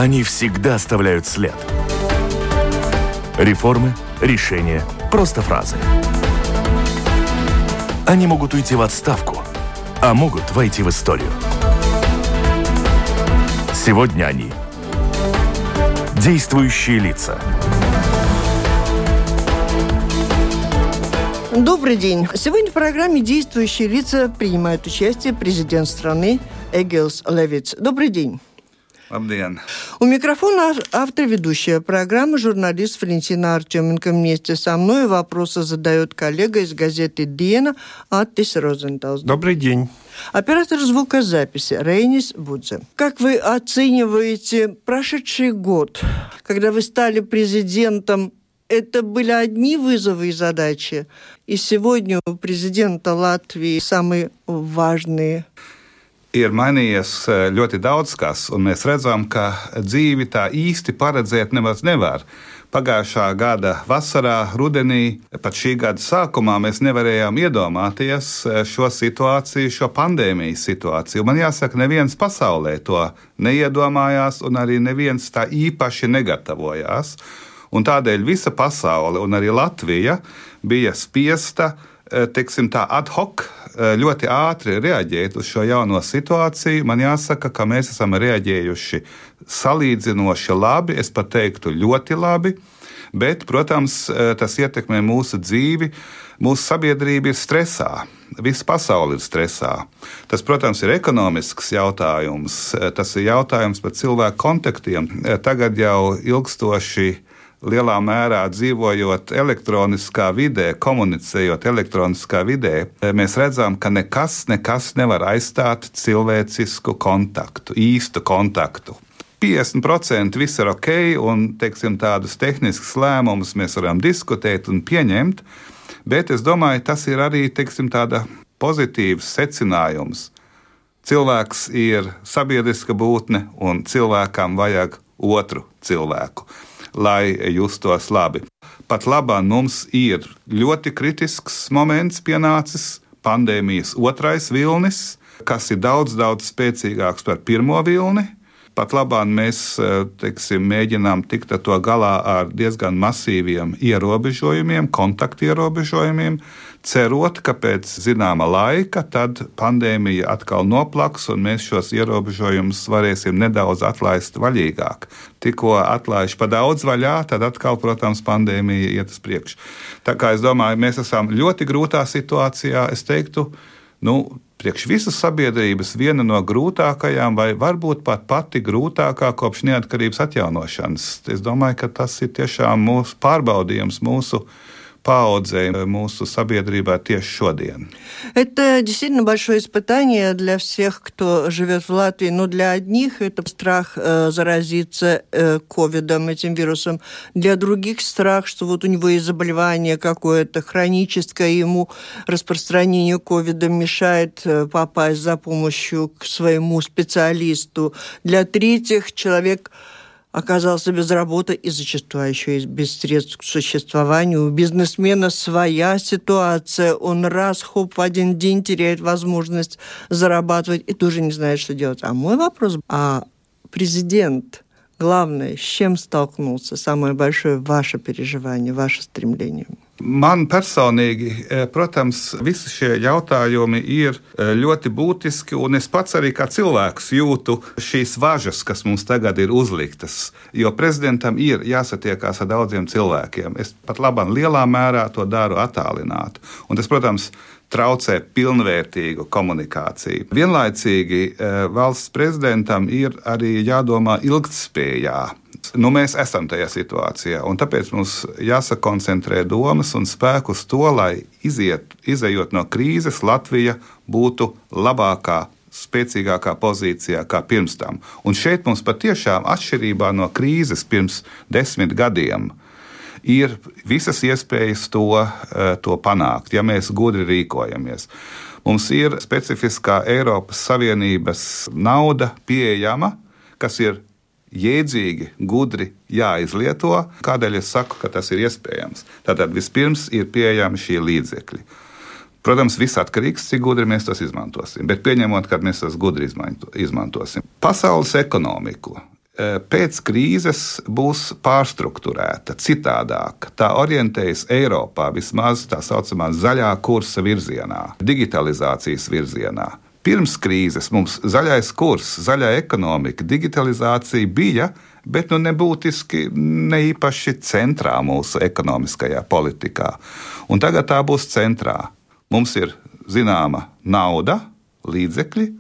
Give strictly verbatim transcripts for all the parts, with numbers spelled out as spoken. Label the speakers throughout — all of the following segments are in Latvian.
Speaker 1: Они всегда оставляют след. Реформы, решения, просто фразы. Они могут уйти в отставку, а могут войти в историю. Сегодня они – действующие лица.
Speaker 2: Добрый день. Сегодня в программе «Действующие лица» принимает участие президент страны Эгилс Левитс. Добрый день.
Speaker 3: Labdien!
Speaker 2: У микрофона автор ведущая программы, журналист Валентина Артеменко. Вместе со мной вопросы задает коллега из газеты «Диена» Аттис Розенталс.
Speaker 4: Добрый день.
Speaker 2: Оператор звукозаписи Рейнис Будзе. Как вы оцениваете прошедший год, когда вы стали президентом? Это были одни вызовы и задачи, и сегодня у президента Латвии самые важные.
Speaker 3: Ir mainījies ļoti daudz kas, un mēs redzam, ka dzīvi tā īsti paredzēt nemaz nevar. Pagājušā gada vasarā, rudenī, pat šī gada sākumā mēs nevarējām iedomāties šo situāciju, šo pandēmijas situāciju. Man jāsaka, neviens pasaulē to neiedomājās, un arī neviens tā īpaši negatavojās. Un tādēļ visa pasaule, un arī Latvija, bija spiesta, teiksim tā, ad hoc ļoti ātri reaģēt uz šo jauno situāciju. Man jāsaka, ka mēs esam reaģējuši salīdzinoši labi, es pat teiktu ļoti labi, bet, protams, tas ietekmē mūsu dzīvi, mūsu sabiedrība ir stresā, visa pasaule ir stresā. Tas, protams, ir ekonomisks jautājums, tas ir jautājums par cilvēku kontaktiem. Tagad jau ilgstoši lielā mērā dzīvojot elektroniskā vidē, komunicējot elektroniskā vidē, mēs redzam, ka nekas, nekas nevar aizstāt cilvēcisku kontaktu, īstu kontaktu. piecdesmit procenti viss ir ok, un, teiksim, tādus tehniskus lēmumus mēs varam diskutēt un pieņemt, bet es domāju, tas ir arī, teiksim, tāda pozitīvs secinājums. Cilvēks ir sabiedriska būtne, un cilvēkam vajag otru cilvēku, lai justos labi. Pat labāk mums ir ļoti kritisks moments pienācis, pandēmijas otrais vilnis, kas ir daudz, daudz spēcīgāks par pirmo vilni. Pat labāk mēs, teiksim, mēģinām tikt ar to galā ar diezgan masīviem ierobežojumiem, kontaktu ierobežojumiem, cerot, ka pēc zināma laika tad pandēmija atkal noplaks un mēs šos ierobežojumus varēsim nedaudz atlaist vaļīgāk. Tikko atlaiž pa daudz vaļā, tad atkal, protams, pandēmija iet uz priekšu. Tā kā es domāju, mēs esam ļoti grūtā situācijā, es teiktu, nu, priekš visas sabiedrības viena no grūtākajām, vai varbūt pat pati grūtākā kopš neatkarības atjaunošanas. Es domāju, ka tas ir tiešām mūsu pārbaudījums, mūsu paaudzei, mūsu sabiedrībā тieši šodien.
Speaker 2: Это действительно большое испытание для всех, кто живет в Латвии. Но для одних это страх э, заразиться э, ковидом, этим вирусом. Для других страх, что вот у него есть заболевание какое-то хроническое, ему распространение ковида мешает э, попасть за помощью к своему специалисту. Для третьих человек оказался без работы и зачастую еще и без средств к существованию. У бизнесмена своя ситуация. Он раз, хоп, в один день теряет возможность зарабатывать и тоже не знает, что делать. А мой вопрос, а президент, главное, с чем столкнулся? Самое большое ваше переживание, ваше стремление?
Speaker 3: Man personīgi, protams, visi šie jautājumi ir ļoti būtiski, un es pats arī kā cilvēks jūtu šīs važas, kas mums tagad ir uzliktas, jo prezidentam ir jāsatiekās ar daudziem cilvēkiem. Es pat labāk lielā mērā to daru attālināti, un tas, protams, traucē pilnvērtīgu komunikāciju. Vienlaicīgi valsts prezidentam ir arī jādomā ilgtspējā. Nu, mēs esam tajā situācijā, un tāpēc mums jāsakoncentrē domas un spēku uz to, lai iziet, izejot no krīzes, Latvija būtu labākā, spēcīgākā pozīcijā kā pirms tam. Un šeit mums patiešām atšķirībā no krīzes pirms desmit gadiem ir visas iespējas to, to panākt, ja mēs gudri rīkojamies. Mums ir specifiskā Eiropas Savienības nauda pieejama, kas ir jēdzīgi, gudri jāizlieto. Kādēļ es saku, ka tas ir iespējams? Tātad vispirms ir pieejami šie līdzekļi. Protams, viss atkarīgs, cik gudri mēs tos izmantosim, bet pieņemot, ka mēs tos gudri izmantosim. Pasaules ekonomiku pēc krīzes būs pārstrukturēta, citādāka. Tā orientējas Eiropā vismaz tā saucamā zaļā kursa virzienā, digitalizācijas virzienā. Pirms krīzes mums zaļais kurs, zaļā ekonomika, digitalizācija bija, bet nu nebūtiski ne īpaši centrā mūsu ekonomiskajā politikā. Un tagad tā būs centrā. Mums ir zināma nauda, līdzekļi,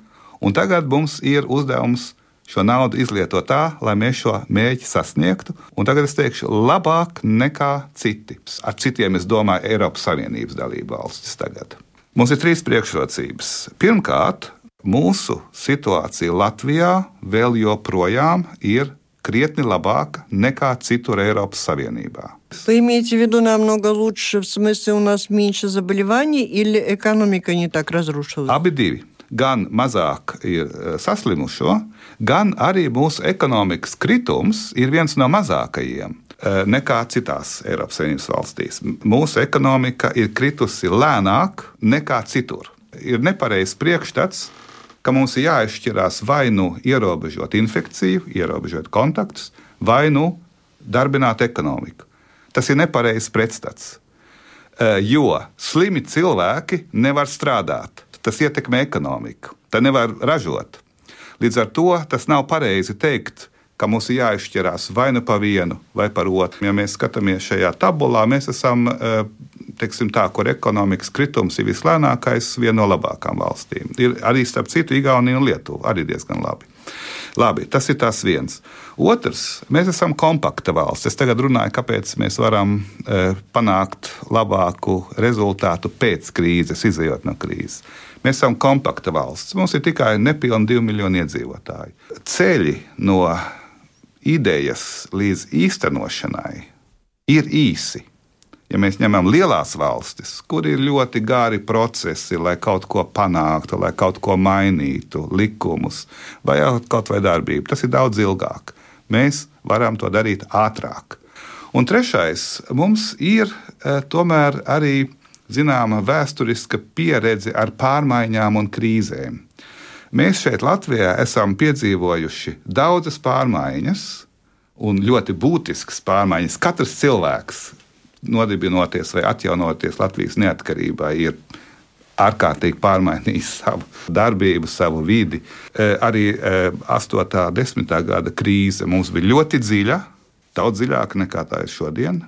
Speaker 3: un tagad mums ir uzdevums šo naudu izlietot tā, lai mēs šo mērķi sasniegtu. Un tagad es teikšu, labāk nekā citi. Ar citiem es domāju Eiropas Savienības dalību valstis tagad. Mums ir trīs priekšrocības. Pirmkārt, mūsu situācija Latvijā vēl joprojām ir krietni labāка nekā citur Eiropas Savienībā.
Speaker 2: Вы имеете в виду намного лучше, в смысле у нас меньше заболеваний или экономика не так разрушилась?
Speaker 3: Abi divi. Gan mazāk ir saslimušo, gan arī mūsu ekonomikas kritums ir viens no mazākajiem nekā citās Eiropas Savienības valstīs. Mūsu ekonomika ir kritusi lēnāk nekā citur. Ir nepareizs priekšstats, ka mums ir jāizšķirās vai nu ierobežot infekciju, ierobežot kontaktus, vai nu darbināt ekonomiku. Tas ir nepareizs pretstats, jo slimi cilvēki nevar strādāt. Tas ietekmē ekonomiku, tā nevar ražot. Līdz ar to tas nav pareizi teikt, ka mums ir jāizšķirās vai nu pa vienu, vai par otru. Ja mēs skatāmies šajā tabulā, mēs esam, teiksim tā, kur ekonomikas kritums ir vislēnākais, viena no labākām valstīm. Ir arī starp citu Igaunija un Lietuva, arī diezgan labi. Labi, tas ir tas viens. Otrs, mēs esam kompakta valsts. Es tagad runāju, kāpēc mēs varam e, panākt labāku rezultātu pēc krīzes, izejot no krīzes. Mēs esam kompakta valsts. Mums ir tikai nepilni divi miljoni iedzīvotāji. Ceļi no idejas līdz īstenošanai ir īsi. Ja mēs ņemam lielās valstis, kur ir ļoti gari procesi, lai kaut ko panāktu, lai kaut ko mainītu, likumus vai kaut vai darbību, tas ir daudz ilgāk. Mēs varam to darīt ātrāk. Un trešais, mums ir e, tomēr arī zināma vēsturiska pieredze ar pārmaiņām un krīzēm. Mēs šeit Latvijā esam piedzīvojuši daudzas pārmaiņas un ļoti būtiskas pārmaiņas. Katrs cilvēks, nodibinoties vai atjaunoties Latvijas neatkarībai, ir ārkārtīgi pārmainījis savu darbību, savu vidi. E, arī e, astotā, desmitā gada krīze mums bija ļoti dziļa, daudz dziļāka nekā tā ir šodien.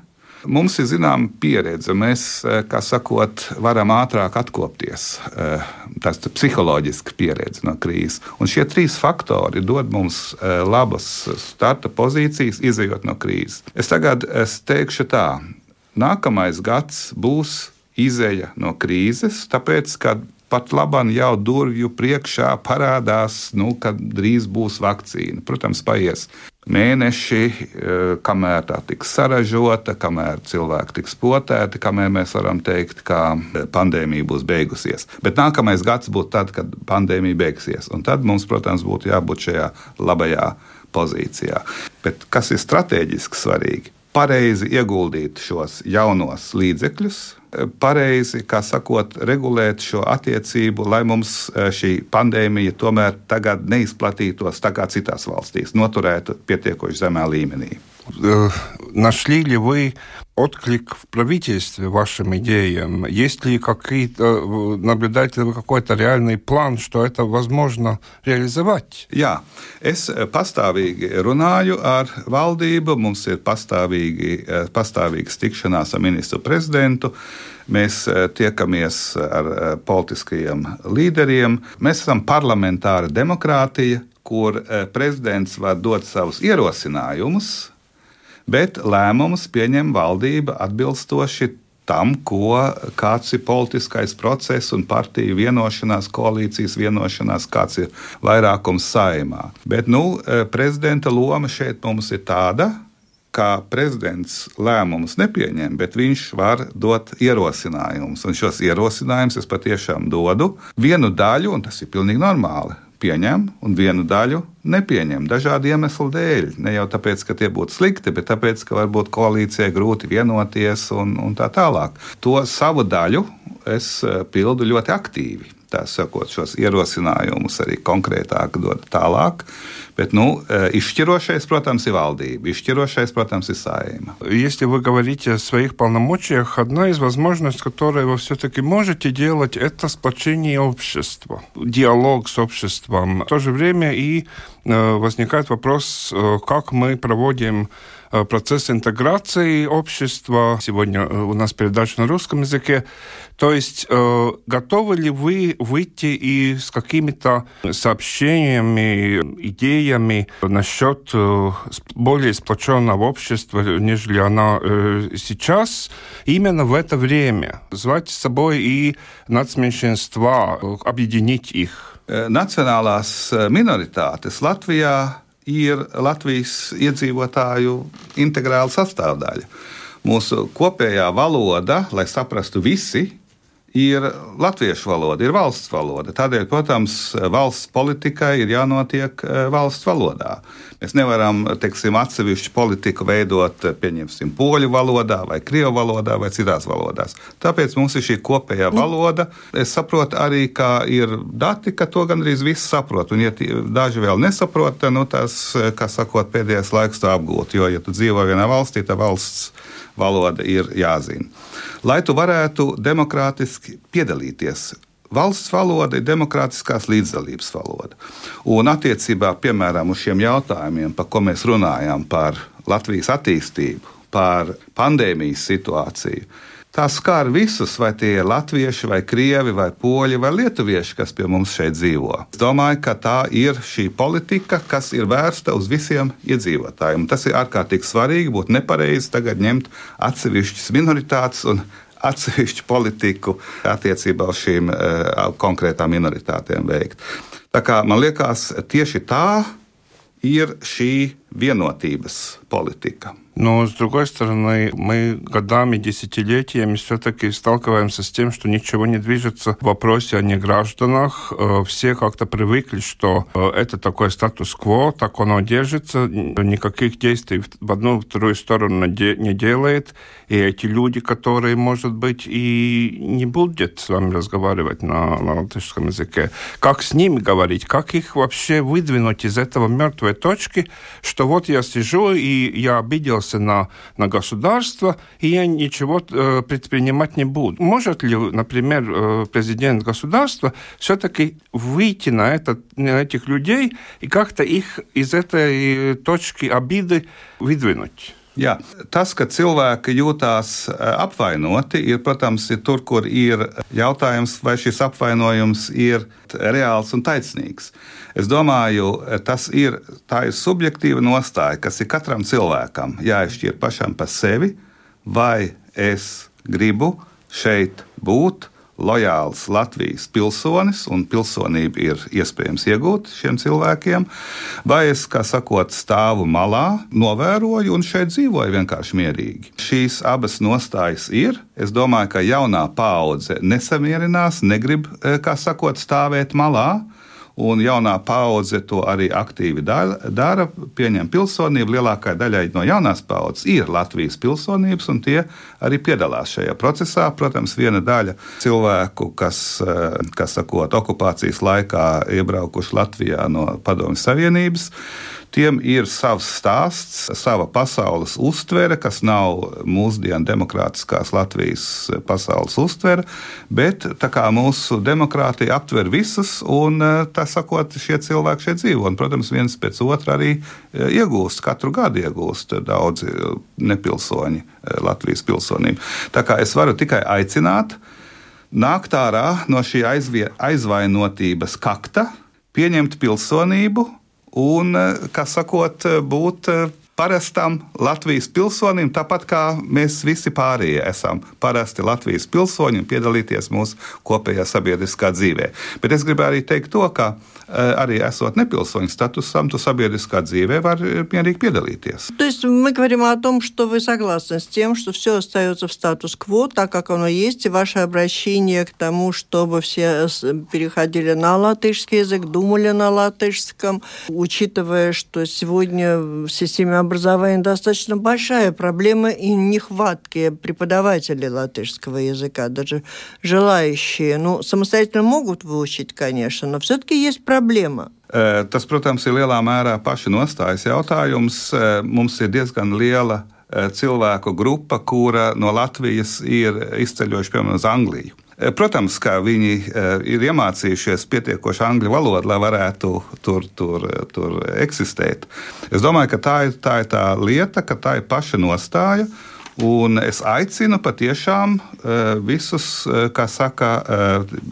Speaker 3: Mums ir zināma pieredze, mēs, kā sakot, varam ātrāk atkopties. Tas ir psiholoģiska pieredze no krīzes. Un šie trīs faktori dod mums labas starta pozīcijas, izejot no krīzes. Es tagad es teikšu tā, nākamais gads būs izeja no krīzes, tāpēc, ka pat labam jau durvju priekšā parādās, nu, kad drīz būs vakcīna. Protams, paies mēneši, kamēr tā tiks saražota, kamēr cilvēki tiks potēti, kamēr mēs varam teikt, ka pandēmija būs beigusies. Bet nākamais gads būtu tad, kad pandēmija beigsies. Un tad mums, protams, būtu jābūt šajā labajā pozīcijā. Bet kas ir strateģiski svarīgi? Pareizi ieguldīt šos jaunos līdzekļus, pareizi, kā sakot, regulēt šo attiecību, lai mums šī pandēmija tomēr tagad neizplatītos tā kā citās valstīs, noturētu pietiekoši zemā līmenī.
Speaker 4: Нашли ли вы отклик в правительстве вашим идеям? Есть ли какие-то, наблюдаете ли вы какой-то реальный план, что это возможно реализовать?
Speaker 3: Jā, es pastāvīgi runāju ar valdību, mums ir pastāvīgi, pastāvīgas tikšanās ar ministru prezidentu, mēs tiekamies ar politiskajiem līderiem, mēs esam parlamentāra demokrātija, kur prezidents var dot savus ierosinājumus, bet lēmumus pieņem valdība atbilstoši tam, ko, kāds ir politiskais process un partiju vienošanās, koalīcijas vienošanās, kāds ir vairākums Saeimā. Bet nu, prezidenta loma šeit mums ir tāda, ka prezidents lēmumus nepieņem, bet viņš var dot ierosinājumus. Un šos ierosinājumus es patiešām dodu vienu daļu, un tas ir pilnīgi normāli, pieņem, un vienu daļu nepieņem. Dažādu iemeslu dēļ. Ne jau tāpēc, ka tie būtu slikti, bet tāpēc, ka varbūt koalīcijai grūti vienoties un, un tā tālāk. To savu daļu es pildu ļoti aktīvi. Tā sakot, šos ierosinājumus arī konkrētāk dod tālāk. Bet, nu, izšķirošais, protams, ir valdība, izšķirošais, protams, ir Saeima.
Speaker 4: Если вы говорите о своих полномочиях, одна из возможностей, которую вы все-таки можете делать, это сплочение общества, диалог с обществом. В то же время и возникает вопрос, как мы проводим процесс интеграции общества. Сегодня у нас передача на русском языке. То есть готовы ли вы выйти и с какими-то сообщениями, идеями насчет более сплоченного общества, нежели она сейчас, именно в это время? Звать с собой и нацменьшинства, объединить их?
Speaker 3: Nacionālās minoritātes Latvijā ir Latvijas iedzīvotāju integrāla sastāvdaļa. Mūsu kopējā valoda, lai saprastu visi, ir latviešu valoda, ir valsts valoda. Tādēļ, protams, valsts politikai ir jānotiek valsts valodā. Mēs nevaram, teiksim, atsevišķu politiku veidot, pieņemsim, poļu valodā vai krievu valodā vai citās valodās. Tāpēc mums ir šī kopējā valoda. Es saprotu arī, ka ir dati, ka to gandrīz visi saprot. Un, ja daži vēl nesaprot, tad, nu, tās, kā sakot, pēdējais laiks to apgūt. Jo, ja tu dzīvo vienā valstī, tad valsts valoda ir jāzina. Lai tu varētu demokrātiski piedalīties, valsts valoda ir demokrātiskās līdzdalības valoda. Un attiecībā, piemēram, uz šiem jautājumiem, par ko mēs runājam, par Latvijas attīstību, par pandēmijas situāciju, tā skar visus, vai tie ir latvieši, vai krievi, vai poļi, vai lietuvieši, kas pie mums šeit dzīvo. Es domāju, ka tā ir šī politika, kas ir vērsta uz visiem iedzīvotājiem. Tas ir ārkārtīgi svarīgi, būtu nepareizi tagad ņemt atsevišķas minoritātes un atsevišķu politiku attiecībā uz šīm uh, konkrētām minoritātēm veikt. Tā kā man liekas, tieši tā ir šī vienotības politika.
Speaker 4: Но, с другой стороны, мы годами, десятилетиями все-таки сталкиваемся с тем, что ничего не движется в вопросе о негражданах. Все как-то привыкли, что это такой статус-кво, так оно держится, никаких действий в одну, в вторую сторону не делает. И эти люди, которые, может быть, и не будут с вами разговаривать на, на латышском языке, как с ними говорить, как их вообще выдвинуть из этого мертвой точки, что вот я сижу и я обиделся На, на государство, и я ничего э, предпринимать не буду. Может ли, например, э, президент государства все-таки выйти на, этот, на этих людей и как-то их из этой точки обиды выдвинуть?
Speaker 3: Jā, tas, ka cilvēki jūtās apvainoti, ir, protams, ir tur, kur ir jautājums, vai šis apvainojums ir reāls un taisnīgs. Es domāju, tas ir, tā ir subjektīva nostāja, kas ir katram cilvēkam jāizšķir pašam par sevi, vai es gribu šeit būt lojāls Latvijas pilsonis, un pilsonība ir iespējams iegūt šiem cilvēkiem, vai es, kā sakot, stāvu malā, novēroju un šeit dzīvoju vienkārši mierīgi. Šīs abas nostājas ir. Es domāju, ka jaunā paudze nesamierinās, negrib, kā sakot, stāvēt malā. Un jaunā paudze to arī aktīvi dara, pieņem pilsonību. Lielākajai daļai no jaunās paudzes ir Latvijas pilsonības, un tie arī piedalās šajā procesā. Protams, viena daļa cilvēku, kas, kas sakot, okupācijas laikā iebraukuši Latvijā no Padomju Savienības, tiem ir savs stāsts, sava pasaules uztvere, kas nav mūsdienu demokrātiskās Latvijas pasaules uztvere, bet tā kā mūsu demokrātija aptver visus, un tā sakot, šie cilvēki šeit dzīvo. Un, protams, viens pēc otra arī iegūst, katru gadu iegūst daudzi nepilsoņi Latvijas pilsonību. Tā kā es varu tikai aicināt nākt ārā no šī aizvainotības kakta, pieņemt pilsonību, un, kā sakot, būt parastam Latvijas pilsonim, tāpat kā mēs visi pārējie esam parasti Latvijas pilsoņi un piedalīties mūsu kopējā sabiedriskā dzīvē. Bet es gribēju arī teikt to, ka arī esot непилсоņu статусом, то sabiedriskā dzīvē var мирīgi piedalīties.
Speaker 2: То есть мы говорим о том, что вы согласны с тем, что все остается в статус-кво, так как оно есть, и ваше обращение к тому, чтобы все переходили на латышский язык, думали на латышском, учитывая, что сегодня в системе образования достаточно большая проблема и нехватки преподавателей латышского языка. Даже желающие, ну, самостоятельно могут выучить, конечно, но все-таки есть проблема.
Speaker 3: Tas, protams, ir lielā mērā paša nostājas jautājums. Mums ir diezgan liela cilvēku grupa, kura no Latvijas ir izceļojuši, piemēram, uz Angliju. Protams, ka viņi ir iemācījušies pietiekoši angļu valodu, lai varētu tur, tur, tur eksistēt. Es domāju, ka tā ir, tā ir tā lieta, ka tā ir paša nostāja, un es aicinu patiešām visus, kā saka,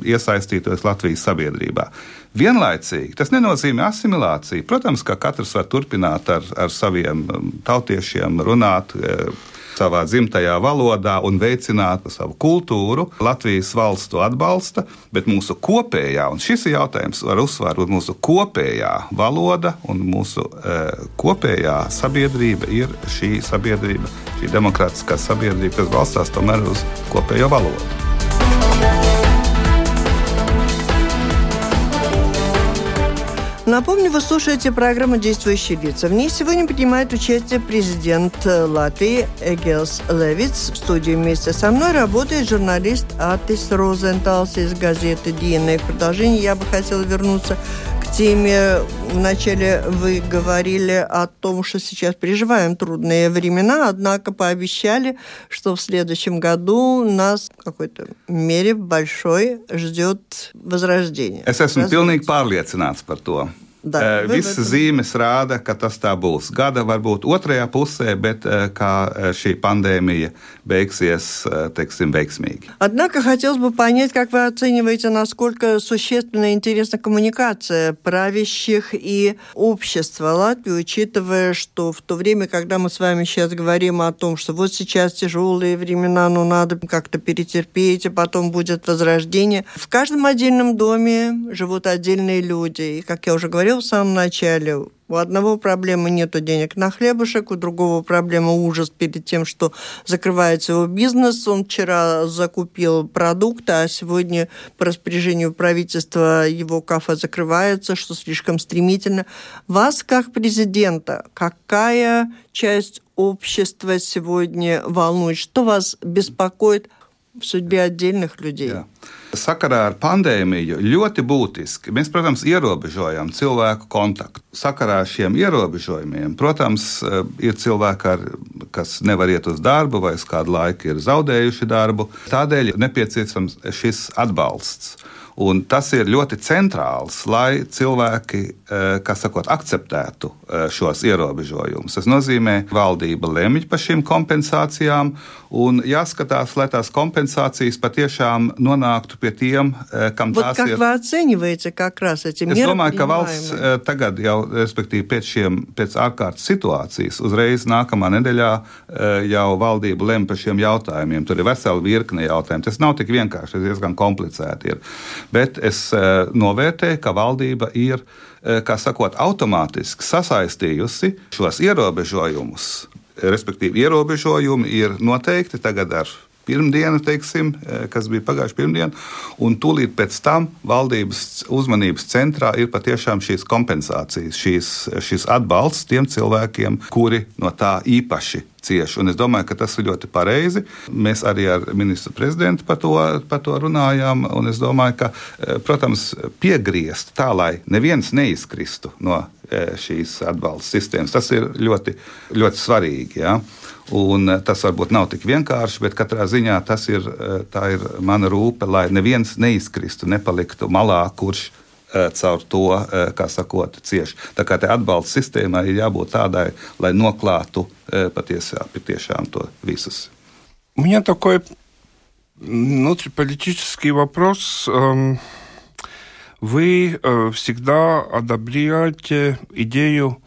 Speaker 3: iesaistītos Latvijas sabiedrībā. Vienlaicīgi tas nenozīmē asimilāciju. Protams, ka katrs var turpināt ar, ar saviem tautiešiem runāt savā dzimtajā valodā un veicināt savu kultūru. Latvijas valsts to atbalsta, bet mūsu kopējā, un šis ir jautājums, var uzsvērt, mūsu kopējā valoda un mūsu e, kopējā sabiedrība ir šī sabiedrība, šī demokrātiskā sabiedrība, kas balstās tomēr uz kopējo valodu.
Speaker 2: Напомню, вы слушаете программу «Действующие лица». В ней сегодня принимает участие президент Латвии Эгилс Левитс. В студии вместе со мной работает журналист Атис Розенталс из газеты «Диена». И в продолжение я бы хотела вернуться к теме. Вначале вы говорили о том, что сейчас переживаем трудные времена, однако пообещали, что в следующем году нас в какой-то мере большой ждет возрождение.
Speaker 3: Es esmu pilnīgi pārliecināts par to.
Speaker 2: Da,
Speaker 3: Visas zīmes rāda, ka tas tā būs. Gada varbūt otrajā pusē, bet kā šī pandēmija beigsies, teiksim, veiksmīgi.
Speaker 2: Однако хотелось бы понять, как вы оцениваете, насколько существенна и интересна коммуникация правящих и общества Латвии, учитывая, что в то время, когда мы с вами сейчас говорим о том, что вот сейчас тяжелые времена, но надо как-то перетерпеть, а потом будет возрождение. В каждом отдельном доме живут отдельные люди. И, как я уже говорила в самом начале, у одного проблемы нету денег на хлебушек, у другого проблема ужас перед тем, что закрывается его бизнес. Он вчера закупил продукты, а сегодня по распоряжению правительства его кафе закрывается, что слишком стремительно. Вас, как президента, какая часть общества сегодня волнует? Что вас беспокоит в судьбе отдельных людей?
Speaker 3: Jā. Sakarā ar pandēmiju ļoti būtiski. Mēs, protams, ierobežojam cilvēku kontaktu. Sakarā ar šiem ierobežojumiem, protams, ir cilvēki, ar, kas nevar iet uz darbu vai uz kādu laiku ir zaudējuši darbu. Tādēļ nepieciešams šis atbalsts. Un tas ir ļoti centrāls, lai cilvēki, kā sakot, akceptētu šos ierobežojumus. Tas nozīmē, ka valdība lemj par šīm kompensācijām un jāskatās, lai tās kompensācijas patiešām nonāktu pie tiem, kam
Speaker 2: вот
Speaker 3: tās
Speaker 2: как
Speaker 3: ir.
Speaker 2: Вы оцениваете как раз эти меры?
Speaker 3: Es domāju, ka valsts tagad jau, respektīvi pēc, šiem, pēc ārkārtas situācijas, uzreiz nākamā nedēļā jau valdība lem par šiem jautājumiem. Tur ir vesela virkne jautājumu. Tas nav tik vienkārši, tas diezgan komplicēti ir. Bet es novērtēju, ka valdība ir, kā sakot, automātiski sasaistījusi šos ierobežojumus. Respektīvi, ierobežojumi ir noteikti tagad ar pirmdienu, teiksim, kas bija pagājuši pirmdienu, un tūlīt pēc tam valdības uzmanības centrā ir patiešām šīs kompensācijas, šīs, šis atbalsts tiem cilvēkiem, kuri no tā īpaši cieši. Un es domāju, ka tas ir ļoti pareizi. Mēs arī ar ministru prezidentu par to, par to runājām, un es domāju, ka, protams, piegriezt tā, lai neviens neizkristu no šīs atbalsta sistēmas, tas ir ļoti, ļoti svarīgi. Ja? Un tas varbūt nav tik vienkārši, bet katrā ziņā tas ir, tā ir mana rūpe, lai neviens neizkristu, nepaliktu malā, kurš caur to, kā sakot, cieši. Tā kā te atbalsta sistēmai ir jābūt tādai, lai noklātu patiesā, patiešām to visus.
Speaker 4: У меня такой внутриполитический вопрос. Вы всегда одобряете идею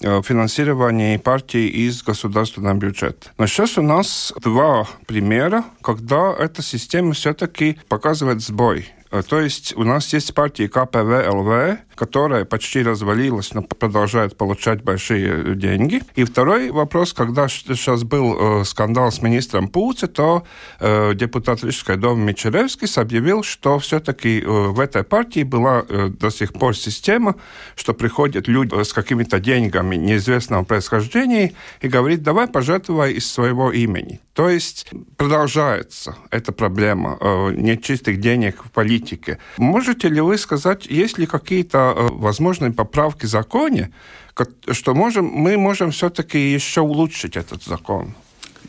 Speaker 4: финансирования партий из государственного бюджета. Но сейчас у нас два примера, когда эта система все-таки показывает сбой. То есть у нас есть партия ка пэ вэ эл вэ, которая почти развалилась, но продолжает получать большие деньги. И второй вопрос, когда сейчас был э, скандал с министром Пуци, то э, депутат Рижской думы Мичеревскис объявил, что все-таки э, в этой партии была э, до сих пор система, что приходят люди с какими-то деньгами неизвестного происхождения и говорит, давай пожертвуй из своего имени. То есть продолжается эта проблема э, нечистых денег в политике. Можете ли вы сказать, есть ли какие-то э, возможные поправки в законе, что можем, мы можем все-таки еще улучшить этот закон?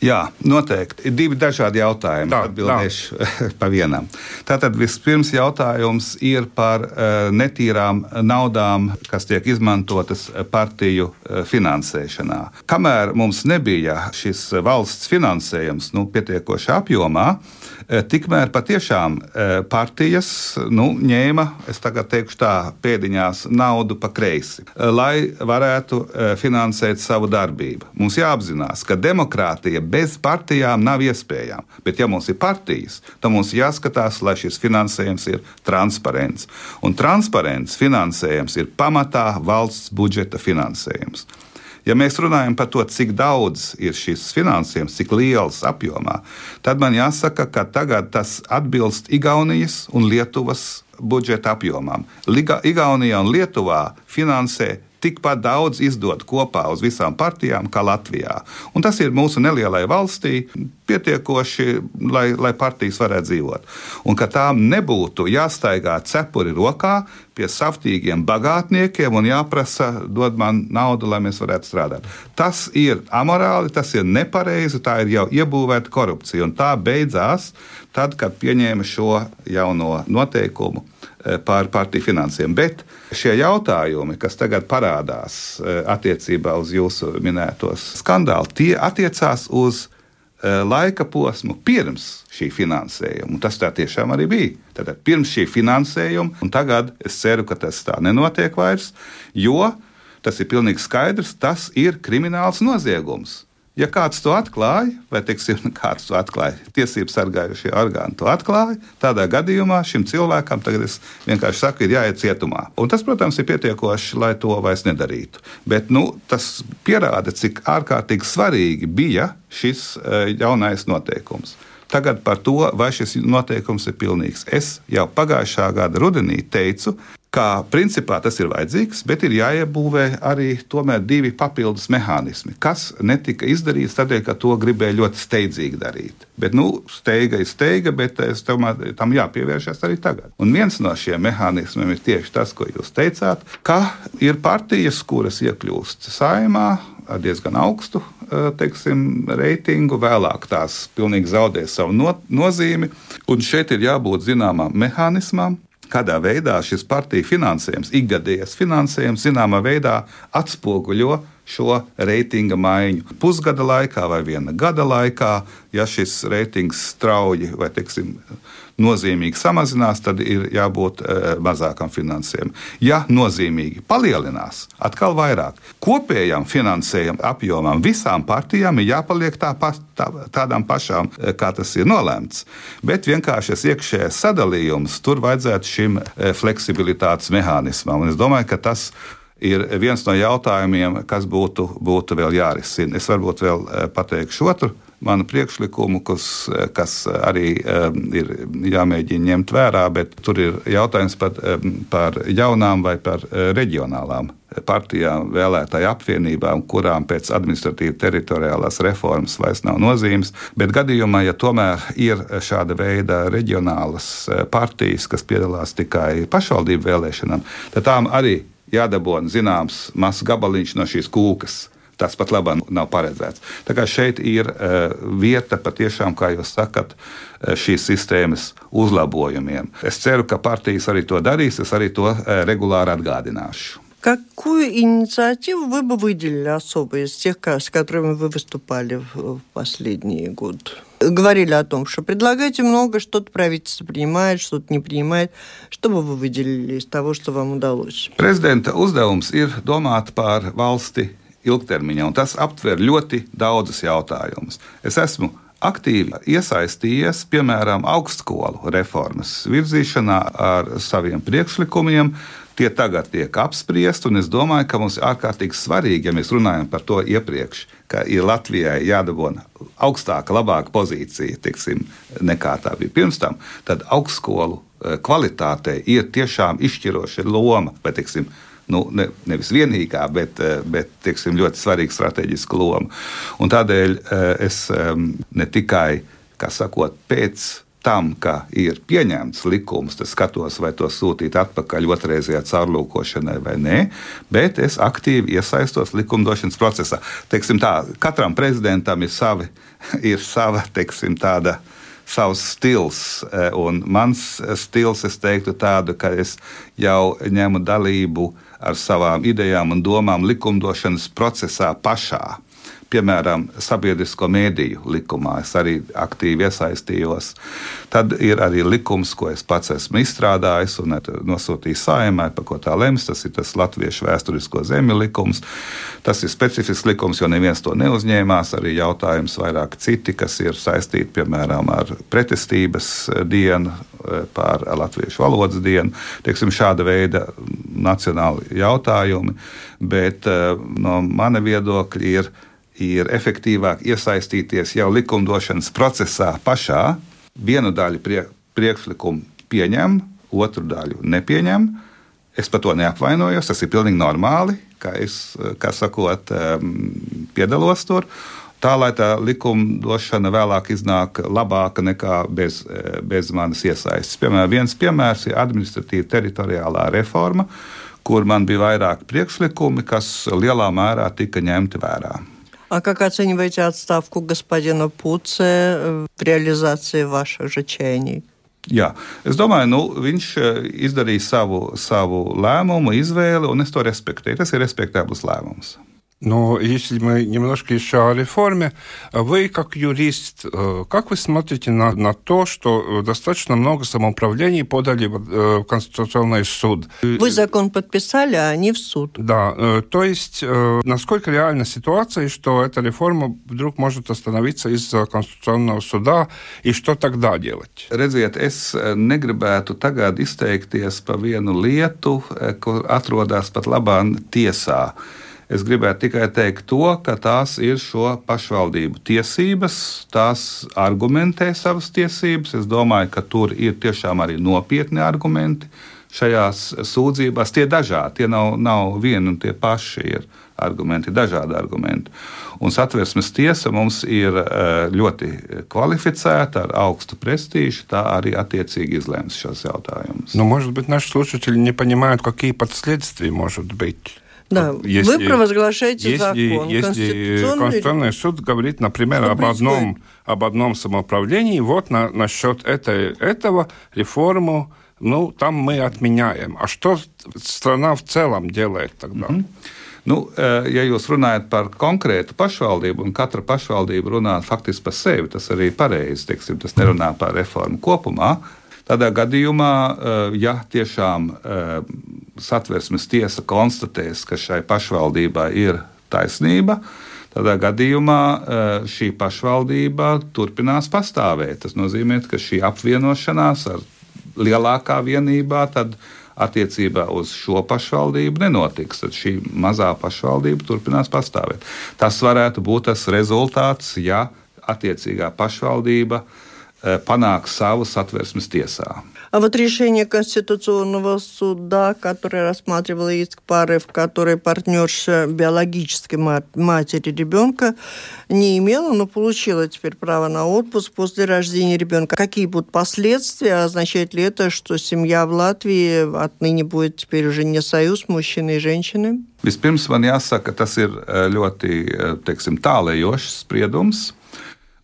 Speaker 3: Jā, noteikti. Ir divi dažādi jautājumi.
Speaker 4: Tā,
Speaker 3: atbildēšu tā. Pa vienam. Tātad vispirms jautājums ir par uh, netīrām naudām, kas tiek izmantotas partiju uh, finansēšanā. Kamēr mums nebija šis valsts finansējums nu, pietiekoši apjomā, uh, tikmēr patiešām uh, partijas nu, ņēma, es tagad teikšu tā, pēdiņās naudu pa kreisi, uh, lai varētu uh, finansēt savu darbību. Mums jāapzinās, ka demokrātija bez partijām nav iespējama. Bet, ja mums ir partijas, tad mums jāskatās, lai šis finansējums ir transparents. Un transparents finansējums ir pamatā valsts budžeta finansējums. Ja mēs runājam par to, cik daudz ir šis finansējums, cik liels apjomā, tad man jāsaka, ka tagad tas atbilst Igaunijas un Lietuvas budžeta apjomām. Liga, Igaunijā un Lietuvā finansē tikpat daudz izdot kopā uz visām partijām kā Latvijā. Un tas ir mūsu nelielai valstī pietiekoši, lai, lai partijas varētu dzīvot. Un ka tām nebūtu jāstaigā cepuri rokā pie saftīgiem bagātniekiem un jāprasa dod man naudu, lai mēs varētu strādāt. Tas ir amorāli, tas ir nepareizi, tā ir jau iebūvēta korupcija. Un tā beidzās tad, kad pieņēma šo jauno noteikumu par partiju finansēm. Bet šie jautājumi, kas tagad parādās attiecībā uz jūsu minētos skandālu, tie attiecās uz laika posmu pirms šī finansējuma. Un tas tā tiešām arī bija. Tātad pirms šī finansējuma, un tagad es ceru, ka tas tā nenotiek vairs, jo tas ir pilnīgi skaidrs, tas ir krimināls noziegums. Ja kāds to atklāja, vai teiksim, kāds to atklāja, tiesību sargājušie orgāni to atklāja, tādā gadījumā šim cilvēkam, tagad es vienkārši saku, ir jāiet cietumā. Un tas, protams, ir pietiekoši, lai to vairs nedarītu. Bet nu, tas pierāda, cik ārkārtīgi svarīgi bija šis jaunais noteikums. Tagad par to, vai šis noteikums ir pilnīgs. Es jau pagājušā gada rudenī teicu, ka principā tas ir vajadzīgs, bet ir jāiebūvē arī tomēr divi papildus mehānismi, kas netika izdarīts tādēļ, ka to gribēja ļoti steidzīgi darīt. Bet, nu, steiga ir steiga, bet es tomēr tam jāpievēršas arī tagad. Un viens no šiem mehānismiem ir tieši tas, ko jūs teicāt, ka ir partijas, kuras iekļūst Saeimā ar diezgan augstu, teiksim, reitingu, vēlāk tās pilnīgi zaudē savu no, nozīmi, un šeit ir jābūt zināmām mehānismām, kādā veidā šis partiju finansējums, ikgadējais finansējums, zināmā veidā atspoguļo šo reitinga maiņu. Pusgada laikā vai viena gada laikā, ja šis reitings strauji vai, teiksim, nozīmīgi samazinās, tad ir jābūt e, mazākam finansējumam. Ja nozīmīgi palielinās, atkal vairāk. Kopējam finansējuma apjomam visām partijām ir jāpaliek tā pa, tā, tādām pašām, e, kā tas ir nolēmts. Bet vienkārši iekšējais sadalījums, tur vajadzētu šim e, fleksibilitātes mehānismam. Un es domāju, ka tas ir viens no jautājumiem, kas būtu, būtu vēl jārisina. Es varbūt vēl e, pateikšu otru manu priekšlikumu, kas, kas arī um, ir jāmēģina ņemt vērā, bet tur ir jautājums par, um, par jaunām vai par uh, reģionālām partijām, vēlētāju apvienībām, kurām pēc administratīva teritoriālās reformas vairs nav nozīmes. Bet gadījumā, ja tomēr ir šāda veida reģionālas partijas, kas piedalās tikai pašvaldību vēlēšanām, tad tām arī jādabūna zināms mazs gabaliņš no šīs kūkas. Tas pat labāk nav paredzēts. Tā kā šeit ir uh, vieta patiešām, kā jūs sakat, uh, šīs sistēmas uzlabojumiem. Es ceru, ka partijas arī to darīs, es arī to uh, regulāri atgādināšu.
Speaker 2: Какую инициативу вы бы выделили особо из тех, с которыми вы выступали в последний год? Говорили о том, что предлагаете много, что-то правительство принимает, что-то не принимает. Что бы вы выделили из того, что вам удалось?
Speaker 3: Prezidenta uzdevums ir domāt par valsti ilgtermiņā, un tas aptver ļoti daudzus jautājumus. Es esmu aktīvi iesaistījies, piemēram, augstskolu reformas virzīšanā ar saviem priekšlikumiem. Tie tagad tiek apspriesti, un es domāju, ka mums ir ārkārtīgi svarīgi, ja mēs runājam par to iepriekš, ka ir Latvijai jādabūna augstāka, labāka pozīcija, tiksim, nekā tā bija pirms tam, tad augstskolu kvalitātei ir tiešām izšķiroša loma, vai, tiksim, nu, ne, nevis vienīgā, bet, bet tiksim, ļoti svarīga strateģiska loma. Un tādēļ es ne tikai, kā sakot, pēc tam, ka ir pieņemts likums, tad skatos, vai to sūtīt atpakaļ otrreizējā caurlūkošanai vai nē, bet es aktīvi iesaistos likumdošanas procesā. Teiksim tā, katram prezidentam ir savi, ir sava, teiksim, tāda, savs stils, un mans stils, es teiktu tādu, ka es jau ņemu dalību ar savām idejām un domām likumdošanas procesā pašā. Piemēram, sabiedrisko mēdīju likumā es arī aktīvi iesaistījos. Tad ir arī likums, ko es pats esmu izstrādājis un nosūtījis Saeimai, par ko tā lems. Tas ir tas Latviešu vēsturisko zemju likums. Tas ir specifisks likums, jo neviens to neuzņēmās. Arī jautājums vairāk citi, kas ir saistīti, piemēram, ar pretestības dienu, pār latviešu valodas dienu. Teiksim, šāda veida nacionāli jautājumi, bet no mana viedokļa ir ir efektīvāk iesaistīties jau likumdošanas procesā pašā. Vienu daļu prie, priekšlikumu pieņem, otru daļu nepieņem. Es par to neapvainojos, tas ir pilnīgi normāli, kā es, kā sakot, piedalos tur. Tā, lai tā likumdošana vēlāk iznāk labāka nekā bez, bez manas iesaistes. Piemēram, viens piemērs ir administratīva teritoriālā reforma, kur man bija vairāk priekšlikumi, kas lielā mērā tika ņemti vērā.
Speaker 2: А как оцениваете отставку господина Puce в реализации ваших же чаяний?
Speaker 3: Jā, es domāju, nu, viņš izdarīja savu, savu lēmumu, izvēli, un es to respektēju. Tas ir respektabls lēmums.
Speaker 4: Но если мы немножко еще о реформе, вы как юрист, как вы смотрите на, на то, что достаточно много самоуправлений подали в Конституционный суд?
Speaker 2: Вы закон подписали, а они в суд.
Speaker 4: Да, то есть насколько реальна ситуация, что эта реформа вдруг может остановиться из-за Конституционного суда, и что тогда делать?
Speaker 3: Redziet, es negribētu tagad izteikties par vienu lietu, kur atrodas pat labāk tiesā. Es gribētu tikai teikt to, ka tās ir šo pašvaldību tiesības, tās argumentē savas tiesības. Es domāju, ka tur ir tiešām arī nopietni argumenti šajās sūdzībās. Tie dažādi, tie nav, nav vieni un tie paši ir argumenti, dažādi argumenti. Un Satversmes tiesa mums ir ļoti kvalificēta, ar augstu prestīžu, tā arī attiecīgi излēms šos jautājumus.
Speaker 4: Но, может быть, наши слушатели не понимают, какие последствия может быть.
Speaker 2: Да, если, вы провозглашаете
Speaker 4: если,
Speaker 2: закон.
Speaker 4: Если Конституционный... Конституционный суд говорит, например, об одном, об одном самоуправлении, вот на, насчет этой, этого реформу, ну, там мы отменяем. А что страна в целом делает тогда? Mm-hmm.
Speaker 3: Nu, ja jūs runājat par konkrētu pašvaldību, un katra pašvaldība runā faktiski par sevi, tas arī pareizi, teiksim, tas nerunā par reformu kopumā. Tādā gadījumā, ja tiešām Satversmes tiesa konstatēs, ka šai pašvaldībai ir taisnība, tādā gadījumā šī pašvaldība turpinās pastāvēt. Tas nozīmē, ka šī apvienošanās ar lielākā vienībā tad attiecībā uz šo pašvaldību nenotiks. Tad šī mazā pašvaldība turpinās pastāvēt. Tas varētu būt tas rezultāts, ja attiecīgā pašvaldība panāk savu Satversmes tiesā.
Speaker 2: А вот решение Конституционного суда, которое рассматривало иск пары, в которой партнерша биологической матери ребенка не имела, но получила теперь право на отпуск после рождения ребенка. Какие будут последствия? Означает ли это, что семья в Латвии отныне будет теперь уже не союз мужчины и женщины?
Speaker 3: Vispirms man jāsaka, tas ir ļoti, teiksim, tālējošs spriedums.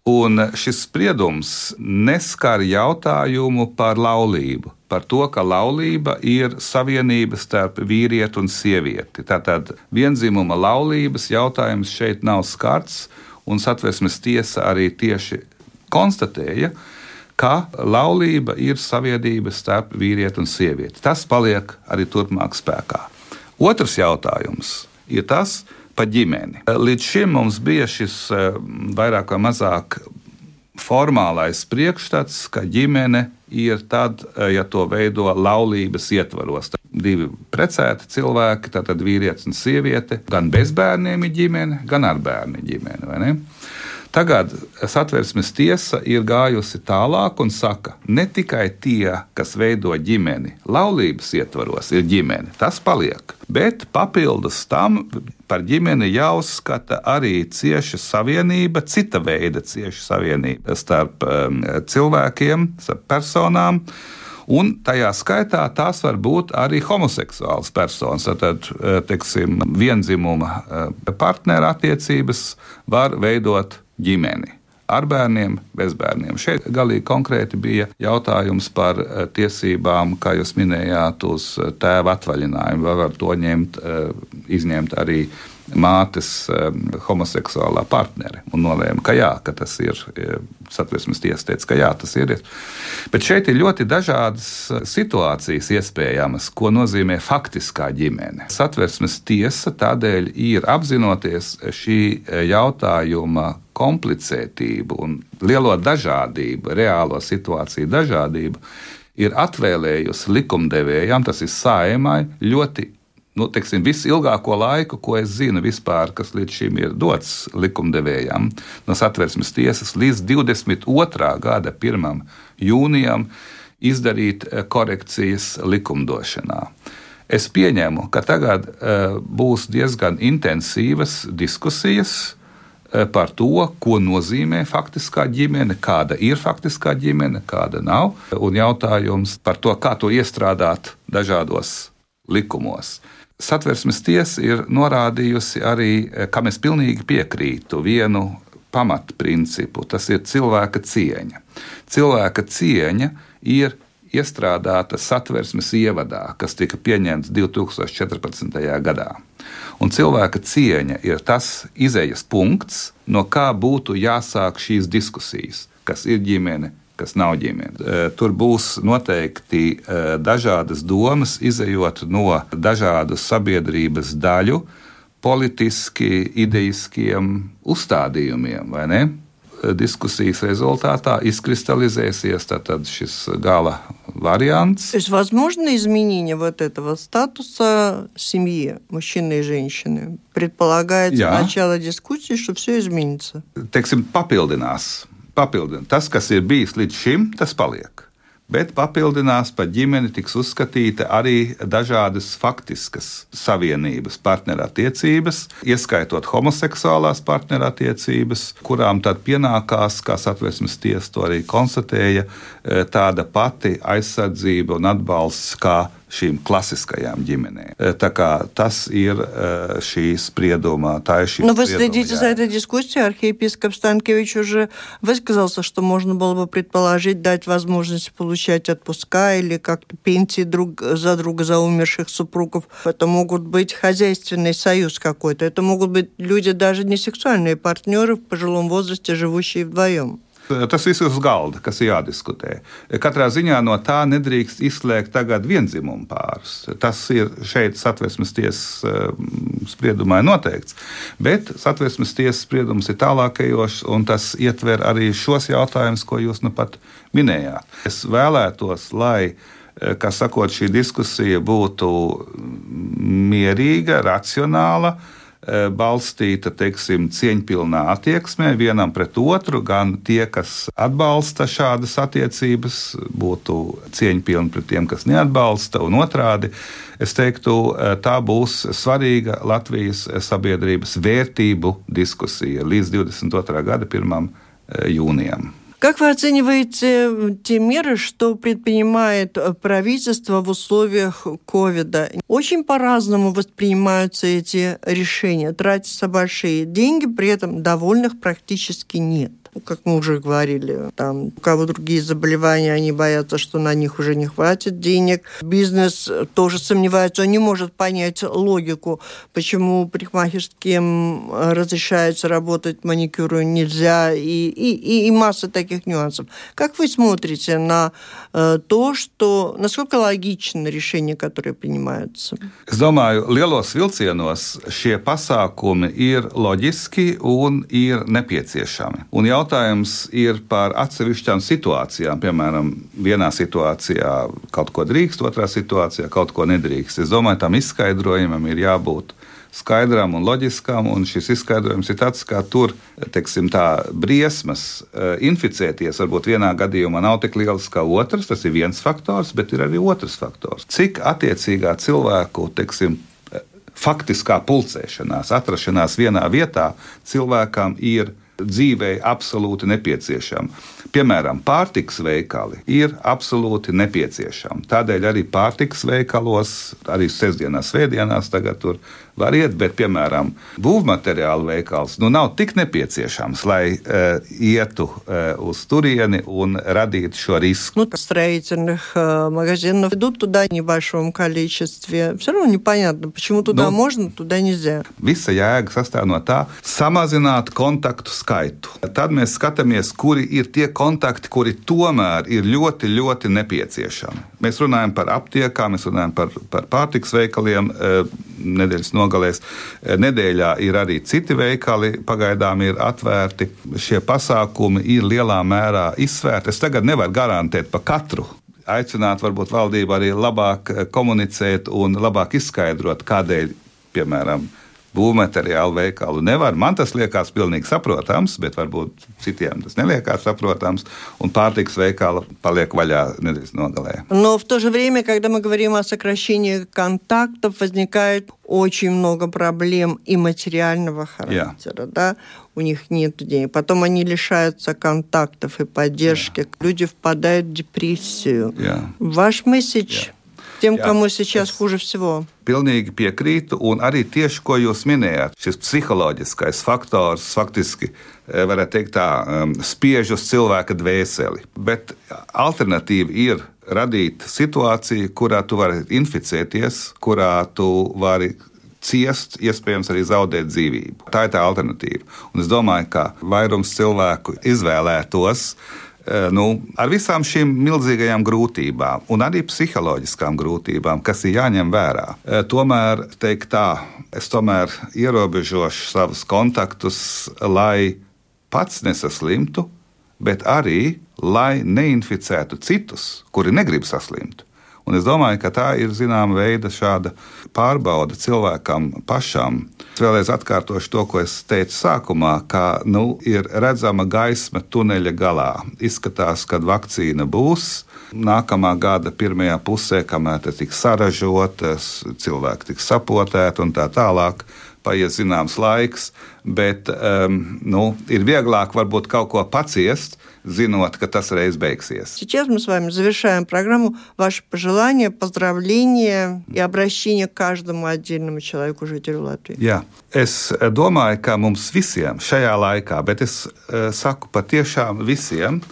Speaker 3: Un šis spriedums neskar jautājumu par laulību, par to, ka laulība ir savienība starp vīrieti un sievieti. Tātad vienzimuma laulības jautājums šeit nav skarts, un Satversmes tiesa arī tieši konstatēja, ka laulība ir savienība starp vīrieti un sievieti. Tas paliek arī turpmāk spēkā. Otrs jautājums ir tas, par ģimeni. Līdz šim mums bija šis vairāk vai mazāk formālais priekšstats, ka ģimene ir tad, ja to veido laulības ietvaros. Divi precēti cilvēki, tātad vīrietis un sieviete, gan bez bērniem ir ģimene, gan ar bērnu ģimene, vai ne? Tagad Satversmes tiesa ir gājusi tālāk un saka, ne tikai tie, kas veido ģimeni, laulības ietvaros ir ģimene, tas paliek, bet papildus tam par ģimeni jāuzskata arī cieša savienība, cita veida cieša savienība starp um, cilvēkiem, starp personām, un tajā skaitā tās var būt arī homoseksuāls personas. Tad, teiksim, vienzimuma partneru attiecības var veidot ģimeni ar bērniem, bez bērniem. Šeit galīgi konkrēti bija jautājums par tiesībām, kā jūs minējāt, uz tēva atvaļinājumu. Vai var to ņemt, izņemt arī mātes homoseksuālā partneri. Un nolēma, ka jā, ka tas ir. Satversmes tiesa teica, ka jā, tas ir. Bet šeit ir ļoti dažādas situācijas iespējamas, ko nozīmē faktiskā ģimene. Satversmes tiesa tādēļ ir apzinoties šī jautājuma komplicētību un lielo dažādību, reālo situāciju dažādību, ir atvēlējusi likumdevējām, tas ir Saeimai, ļoti Nu, teiksim, visilgāko laiku, ko es zinu vispār, kas līdz šim ir dots likumdevējām, no Satversmes tiesas līdz divdesmit otrā gada pirmajam jūnijam izdarīt korekcijas likumdošanā. Es pieņemu, ka tagad uh, būs diezgan intensīvas diskusijas uh, par to, ko nozīmē faktiskā ģimene, kāda ir faktiskā ģimene, kāda nav, un jautājums par to, kā to iestrādāt dažādos likumos. Satversmes tiesa ir norādījusi arī, kam es pilnīgi piekrītu, vienu pamatprincipu, tas ir cilvēka cieņa. Cilvēka cieņa ir iestrādāta Satversmes ievadā, kas tika pieņemts divi tūkstoši četrpadsmitajā gadā. Un cilvēka cieņa ir tas izejas punkts, no kā būtu jāsāk šīs diskusijas, kas ir ģimene, kas nav ģimene. Tur būs noteikti dažādas domas, izejot no dažādu sabiedrības daļu politiski idejiskiem uzstādījumiem, vai ne? Diskusijas результата изкристаллизēsies tātad šis gala вариант.
Speaker 2: То есть возможно изменение вот этого статуса семьи, мужчины и женщины? Предполагается Jā. Начало дискуссии, что все изменится.
Speaker 3: Teiksim, papildinās. Papildināt. Tas, kas ir bijis līdz šim, tas paliek. Bet papildinās par ģimeni tiks uzskatīta arī dažādas faktiskas savienības, partnerattiecības, ieskaitot homoseksuālās partnerattiecības, kurām tad pienākās, kā Satversmes tiesa to arī konstatēja, tāda pati aizsardzība un atbalsts kā šīm klasiskajām ģimenēm. Tā kā tas ir šī sprieduma, tā ir šī
Speaker 2: Но вы следите за этой дискуссией. Архиепископ Станкевич уже высказался, что можно было бы предположить, дать возможность получать отпуска или как-то пенсии друг за друга за умерших супругов. Это могут быть хозяйственный союз какой-то. Это могут быть люди даже не сексуальные партнеры в пожилом возрасте, живущие вдвоем.
Speaker 3: Tas viss ir uz galda, kas ir jādiskutē. Katrā ziņā no tā nedrīkst izslēgt tagad viendzimumu pārus. Tas ir šeit Satversmes tiesas spriedumā noteikts. Bet Satversmes tiesas spriedums ir tālākajošs, un tas ietver arī šos jautājumus, ko jūs nu pat minējāt. Es vēlētos, lai, kā sakot, šī diskusija būtu mierīga, racionāla, balstīta, teiksim, cieņpilnā attieksmē vienam pret otru, gan tie, kas atbalsta šādas attiecības, būtu cieņpilni pret tiem, kas neatbalsta, un otrādi, es teiktu, tā būs svarīga Latvijas sabiedrības vērtību diskusija līdz divdesmit otrā gada pirmajam jūnijam.
Speaker 2: Как вы оцениваете те меры, что предпринимает правительство в условиях ковида? Очень по-разному воспринимаются эти решения. Тратятся большие деньги, при этом довольных практически нет. Как мы уже говорили, там, у кого другие заболевания, они боятся, что на них уже не хватит денег. Бизнес тоже сомневается, он не может понять логику, почему парикмахерским разрешается работать, маникюру нельзя, и, и, и масса таких нюансов. Как вы смотрите на э, то, что, насколько логично решения, которые принимаются?
Speaker 3: Es domāju, lielos vilcienos šie pasākumi ir loģiski un ir nepieciešami. Un jautājums ir par atsevišķām situācijām. Piemēram, vienā situācijā kaut ko drīkst, otrā situācijā kaut ko nedrīkst. Es domāju, tam izskaidrojumam ir jābūt skaidram un loģiskam, un šis izskaidrojums ir tāds, kā tur, teiksim tā, briesmas inficēties varbūt vienā gadījumā nav tik liels kā otrs, tas ir viens faktors, bet ir arī otrs faktors. Cik attiecīgā cilvēku, teiksim, faktiskā pulcēšanās, atrašanās vienā vietā cilvēkam ir dzīvei absolūti nepieciešama. Piemēram, pārtikas veikali ir absolūti nepieciešami. Tādēļ arī pārtikas veikalos, arī sestdienās, svētdienās tagad tur var iet, bet, piemēram, būvmateriālu veikals nu, nav tik nepieciešams, lai uh, ietu uh, uz turieni un radītu šo risku.
Speaker 2: Ну, строительных э, магазинов идут туда в небольшом количестве. Все равно непонятно, почему туда
Speaker 3: nu,
Speaker 2: можно, туда нельзя.
Speaker 3: Visa jēga sastāv no tā, samazināt kontaktu skaitu. Tad mēs skatāmies, kuri ir tie kontakti, kuri tomēr ir ļoti, ļoti nepieciešami. Mēs runājam par aptiekām, mēs runājam par, par pārtikas veikaliem nedēļas nogalēs. Nedēļā ir arī citi veikali, pagaidām ir atvērti. Šie pasākumi ir lielā mērā izsvērti. Es tagad nevaru garantēt pa katru. Aicināt varbūt valdību arī labāk komunicēt un labāk izskaidrot, kādēļ, piemēram, būvmateriālu veikalu nevar. Man tas liekas pilnīgi saprotams, bet varbūt citiem tas neliekās saprotams, un pārtikas veikala paliek vaļā nedēļas nogalē.
Speaker 2: Но в то же время, когда мы говорим о сокращении контактов, возникает очень много проблем и материального характера. Yeah. Да? У них нет денег. Потом они лишаются контактов и поддержки. Yeah. Люди впадают в депрессию. Yeah. Ваш месседж... Yeah. Tiem, Jā, kam сейчас хуже всего.
Speaker 3: Pilnīgi piekrītu, un arī tieši, ko jūs minējāt, šis psiholoģiskais faktors faktiski, varētu teikt tā, spiež uz cilvēka dvēseli. Bet alternatīva ir radīt situāciju, kurā tu vari inficēties, kurā tu vari ciest, iespējams arī zaudēt dzīvību. Tā ir tā alternatīva. Un es domāju, ka vairums cilvēku izvēlētos Nu, ar visām šīm milzīgajām grūtībām un arī psiholoģiskām grūtībām, kas ir jāņem vērā. Tomēr, teikt tā, es tomēr ierobežošu savus kontaktus, lai pats nesaslimtu, bet arī, lai neinficētu citus, kuri negrib saslimt. Un es domāju, ka tā ir zināma veida šāda pārbauda cilvēkam pašam. Es vēlreiz atkārtošu to, ko es teicu sākumā, ka nu, ir redzama gaisma tuneļa galā. Izskatās, ka vakcīna būs nākamā gada pirmajā pusē, kamēr tas tiks saražotas, cilvēki tiks sapotēti un tā tālāk. Paies zināms laiks, bet um, nu, ir vieglāk varbūt kaut ko paciest, зинот, ka tas reiz beigsies.
Speaker 2: Сейчас мы с вами завершаем программу. Ваши пожелания, поздравления и обращения к каждому отдельному человеку, жителю Латвии.
Speaker 3: Jā, es domāju, ka mums visiem šajā laikā, bet es uh, saku patiešām visiem,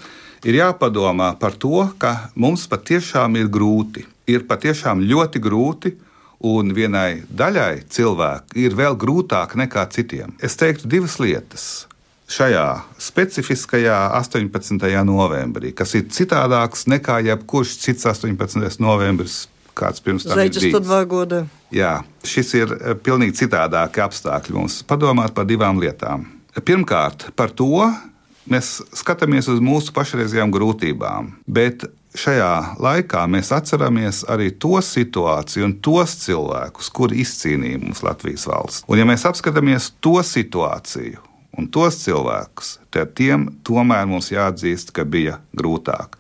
Speaker 3: ir jāpadomā par to, ka mums patiešām ir grūti. Ir patiešām ļoti grūti, un vienai daļai cilvēku ir vēl grūtāk nekā citiem. Es teiktu divas lietas. Šajā specifiskajā astoņpadsmitajā novembrī, kas ir citādāks nekā jebkurš cits astoņpadsmitais novembris, kāds pirms tam ir bijis.
Speaker 2: sto dva года.
Speaker 3: Jā, šis ir pilnīgi citādāki apstākļi mums. Padomāt par divām lietām. Pirmkārt, par to mēs skatāmies uz mūsu pašreizējām grūtībām, bet šajā laikā mēs atceramies arī to situāciju un tos cilvēkus, kuri izcīnīja mums Latvijas valsts. Un ja mēs apskatāmies to situāciju un tos cilvēkus, tad tiem tomēr mums jāatzīst, ka bija grūtāk.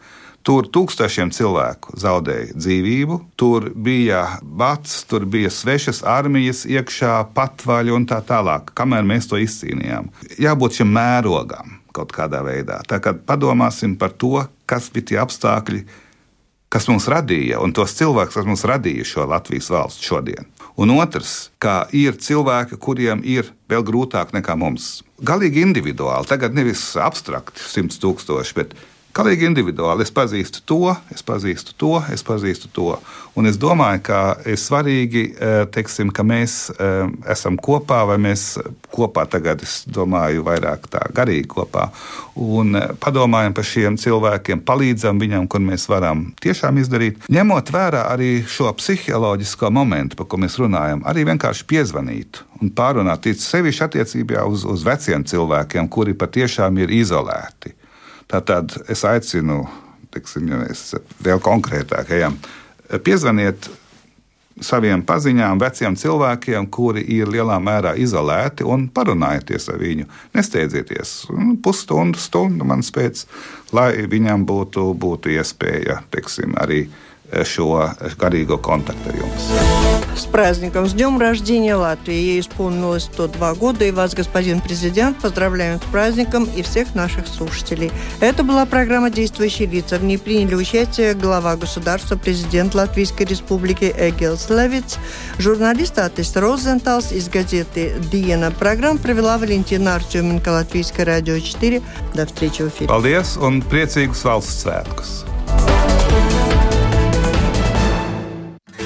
Speaker 3: Tur tūkstošiem cilvēku zaudēja dzīvību, tur bija bats, tur bija svešas armijas iekšā, patvaļi un tā tālāk, kamēr mēs to izcīnījām. Jābūt šim mērogam kaut kādā veidā. Tā kā padomāsim par to, kas bija tie apstākļi, kas mums radīja, un tos cilvēkus, kas mums radīja šo Latvijas valsts šodien. Un otrs, ka ir cilvēki, kuriem ir vēl grūtāk nekā mums. Galīgi individuāli, tagad nevis abstrakti simts tūkstoši, bet Kalīgi individuāli. Es pazīstu to, es pazīstu to, es pazīstu to. Un es domāju, ka ir svarīgi, teiksim, ka mēs esam kopā, vai mēs kopā tagad, es domāju, vairāk tā garīgi kopā, un padomājam par šiem cilvēkiem, palīdzam viņam, kur mēs varam tiešām izdarīt, ņemot vērā arī šo psiholoģisko momentu, par ko mēs runājam, arī vienkārši piezvanīt un pārunāt, sevišķi attiecībā uz, uz veciem cilvēkiem, kuri patiešām ir izolēti. Tātad es aicinu, teiksim, ja mēs vēl konkrētāk ejam, piezvaniet saviem paziņām, veciem cilvēkiem, kuri ir lielā mērā izolēti, un parunājieties ar viņu. Nesteidzieties. Pusstundu, stundu man spēc, lai viņam būtu, būtu iespēja, teiksim, arī šo garīgo контакта jums.
Speaker 2: С праздником! С днем рождения Латвии! Ей исполнилось сто два года, и вас, господин президент, поздравляем с праздником и всех наших слушателей. Это была программа «Действующие лица». В ней приняли участие глава государства, президент Латвийской Республики Эгилс Левитс, журналист Атис Розенталс из газеты «Диена». Программу провела Валентина Артеменко, Латвийское радио четыре. До встречи в эфире.
Speaker 3: Paldies un priecīgus valsts svētkus!